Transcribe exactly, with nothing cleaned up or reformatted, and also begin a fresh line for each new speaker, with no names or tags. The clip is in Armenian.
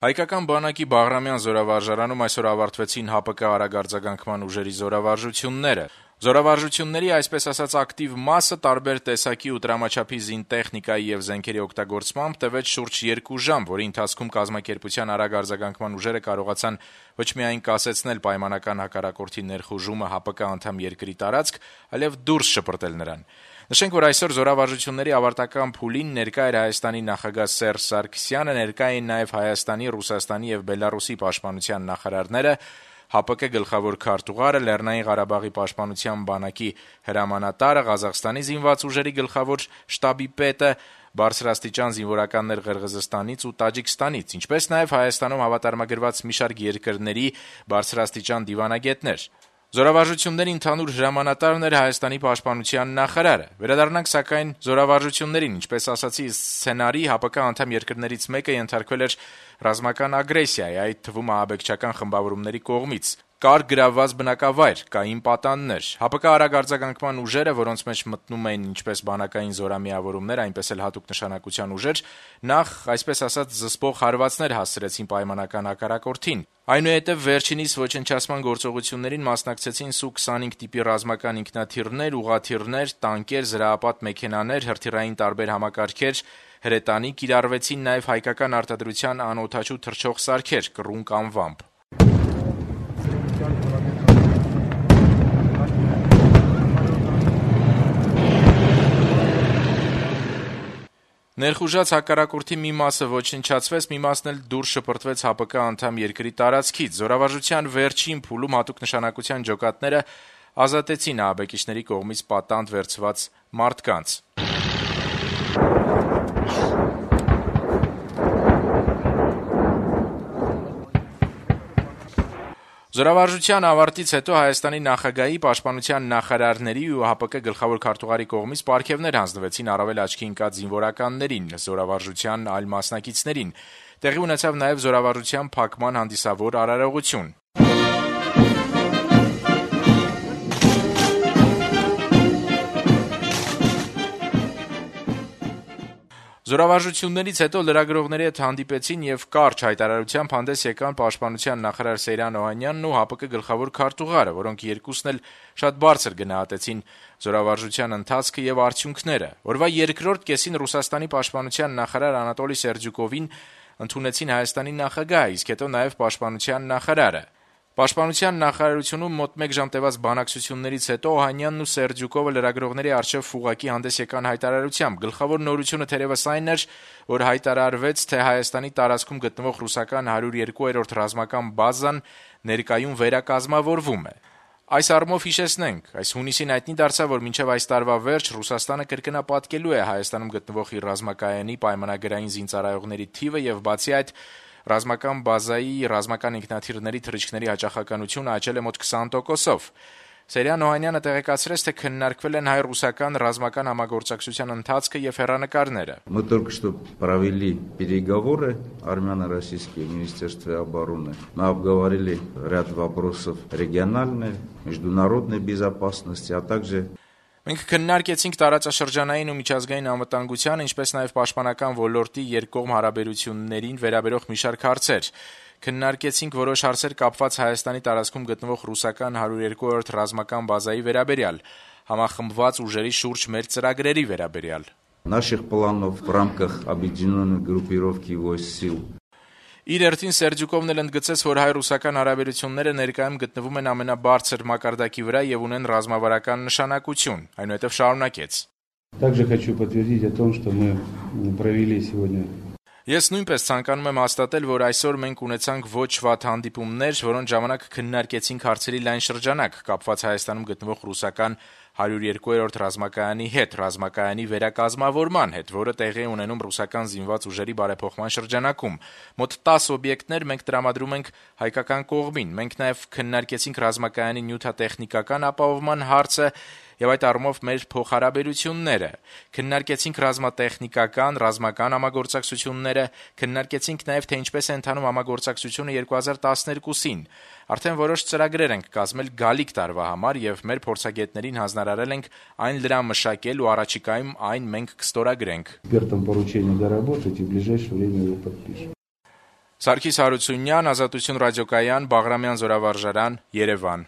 Հայկական բանակի Բաղրամյան զորավարժարանում այսօր ավարտվեցին ՀԱՊԿ արագարձագանքման ուժերի զորավարժությունները։ Զորավարժությունների այսպես ասած ակտիվ մասը տարբեր տեսակի ու տրամաչափի զինտեխնիկայի եւ զենքերի օգտագործմամբ տևեց շուրջ երկու ժամ, որի ընթացքում կազմակերպության արագ արձագանքման ուժերը կարողացան ոչ միայն կասեցնել պայմանական հակառակորդի ներխուժումը ՀԱՊԿ անդամ երկրի տարածք, այլև դուրս շպրտել նրան։ Նշենք, որ այսօր զորավարժությունների ավարտական փուլին ներկա էր Հայաստանի նախագահ Սերժ Սարգսյանը, ներկա էին նաև Հայաստանի, Ռուսաստանի եւ Բելարուսի պաշտպանության նախարարները, ՀԱՊԿ գլխավոր քարտուղարը, Լեռնային Ղարաբաղի պաշտպանության բանակի հրամանատարը, Ղազախստանի զինված ուժերի գլխավոր շտաբի պետը, բարձրաստիճան զինվորականներ Ղրղըզստանից ու Տաջիկստանից, ինչպես նաև Հայաստանում հավատարմագրված մի շարք երկրների բարձրաստիճան դիվանագետներ։ Զորավարժությունների ընդհանուր հրամանատարն էր Հայաստանի պաշտպանության նախարարը։ Վերադառնանք սակայն զորավարժություններին, ինչպես ասացի, սցենարի ՀԱՊԿ անդամ երկրներից մեկը ենթարկվել էր ռազմական ագրեսիայի, այդ թվում ահաբեկչական խմբավորումների կողմից։ Կար գրավված բնակավայր, կային պատաններ։ ՀԱՊԿ արագ արձագանքման ուժերը, որոնց մեջ մտնում էին ինչպես բանակային զորամիավորումներ, այնպես էլ հատուկ նշանակության ուժեր, նախ, այսպես ասած, զսպող հարվածներ հասցրեցին պայմանական հակառակորդին։ Այնուհետև վերջինիս ոչնչացման գործողություններին մասնակցեցին Սու քսանհինգ տիպի ռազմական ինքնաթիռներ, ուղղաթիռներ, տանկեր, զրահապատ մեքենաներ, հրթիռային տարբեր համակարգեր, հրետանի կիրառվեցին նաև հայկական արտադրության անօդաչու թռչող սարքեր կռունկ անվամբ։ Ներխուժած հակառակորդի մի մասը ոչնչացվեց, մի մասն էլ դուրս շպրտվեց ՀԱՊԿ անդամ երկրի տարածքից։ Զորավարժության վերջին փուլում հատուկ նշանակության ջոկատները ազատեցին ահաբեկիչների կողմից պատանդ վերցված մարդկանց։ Զորավարժության ավարտից հետո Հայաստանի նախագահի, պաշտպանության նախարարների ու ՀԱՊԿ գլխավոր քարտուղարի կողմից պարգևներ հանձնվեցին առավել աչքի ընկած զինվորականներին, զորավարժության այլ մասնակիցներին։ Տեղի ունեցավ նաև զորավարժության փակման հանդիսավոր արարողություն։ Զորավարժություններից հետո լրագրողների հետ հանդիպեցին եւ կարճ հայտարարությամբ հանդես եկան պաշտպանության նախարար Սեյրան Օհանյանն ու ՀԱՊԿ գլխավոր քարտուղարը, որոնք երկուսն էլ շատ բարձր գնահատեցին զորավարժության ընթացքը եւ արդյունքները։ Օրվա երկրորդ կեսին Ռուսաստանի պաշտպանության նախարար Անատոլի Սերդյուկովին ընդունեցին Հայաստանի նախագահը, իսկ հետո նաեւ պաշտպանության նախարարը։ Պաշտպանության նախարարությունում մոտ մեկ ժամ տևած բանակցություններից հետո Օհանյանն ու Սերդյուկովը լրագրողների առջև ֆուղակի հանդես եկան հայտարարությամբ։ Գլխավոր նորությունը թերևս այն էր, որ հայտարարվեց, թե Հայաստանի տարածքում գտնվող ռուսական հարյուր երկու-րդ ռազմական բազան ներկայում վերակազմավորվում է։ Այս առումով հիշեցնենք, այս հունիսին հայտնի դարձավ, որ մինչև այս տարվա վերջ Ռուսաստանը կրկնապատկելու է Հայաստանում գտնվող իր ռազմակայանի պայմանագրային զինծառայողների թիվը եւ բացի այդ ռազմական բազայի ռազմական ինքնաթիռների թռիչքների հաճախականությունը աճել է մոտ քսան տոկոսով։ Սեյրան Օհանյանը տեղեկացրեց, թե քննարկվել են հայ-ռուսական ռազմական համագործակցության ընթացքը եւ հեռանկարները։
Мы только что провели переговоры армяно-российские в Министерстве обороны. Мы обговорили ряд вопросов региональной, международной безопасности, а также
Մենք քննարկեցինք տարածաշրջանային ու միջազգային անվտանգության, ինչպես նաև պաշտպանական ոլորտի երկկողմ հարաբերություններին վերաբերող մի շարք հարցեր։ Քննարկեցինք որոշ հարցեր կապված Հայաստանի տարածքում գտնվող ռուսական հարյուր երկու-րդ ռազմական բազայի վերաբերյալ, համախմբված ուժերի շուրջ մեր ծրագրերի վերաբերյալ։
Наших планов в рамках объединенной группировки войск сил.
Իր հերթին Սերդյուկովն էլ ընդգծեց, որ հայ-ռուսական հարաբերությունները ներկայում գտնվում են ամենաբարձր մակարդակի վրա եւ ունեն ռազմավարական նշանակություն, այնուհետեւ շարունակեց.
Также хочу подтвердить о том, что мы провели сегодня.
Ես նույնպես ցանկանում եմ հաստատել, որ այսօր մենք ունեցանք ոչ վատ հանդիպումներ, որոնց ժամանակ քննարկեցինք հարցերի լայն շրջանակ կապված Հայաստանում գտնվող ռուսական հարյուր երկու-րդ ռազմակայանի հետ, ռազմակայանի վերակազմավորման հետ, որը տեղի է ունենում ռուսական զինված ուժերի բարեփոխման շրջանակում։ Մոտ տասը օբյեկտներ մենք տրամադրում ենք հայկական կողմին։ Մենք նաև քննարկեցինք ռազմակայանի նյութատեխնիկական ապահովման հարցը եւ այդ առումով մեր փոխհարաբերությունները, քննարկեցինք ռազմատեխնիկական, ռազմական համագործակցությունները, քննարկեցինք նաեւ թե ինչպես է ընթանում համագործակցությունը երկու հազար տասներկուսին։ Արդեն որոշ ծրագրեր ենք կազմել գալիք տարվա համար եւ մեր փորձագետներին հանձնարարել ենք այն լրամշակել ու առաջիկայում այն մենք կստորագրենք։
Экспертам поручение доработать и в ближайшее время его подпишем.
Սարգիս Հարությունյան, Ազատություն ռադիոկայան, Բաղրամյան զորավարժարան, Երևան։